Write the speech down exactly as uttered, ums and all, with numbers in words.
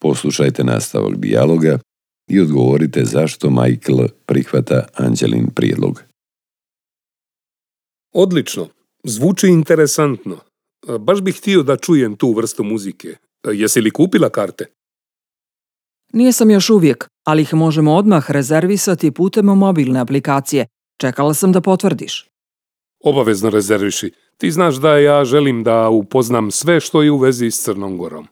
Poslušajte nastavak dijaloga i odgovorite zašto Michael prihvata Anđelin prijedlog. Odlično. Zvuči interesantno. Baš bih htio da čujem tu vrstu muzike. Jesi li kupila karte? Nisam još uvijek, ali ih možemo odmah rezervisati putem mobilne aplikacije. Čekala sam da potvrdiš. Obavezno rezerviši. Ti znaš da ja želim da upoznam sve što je u vezi s Crnom Gorom.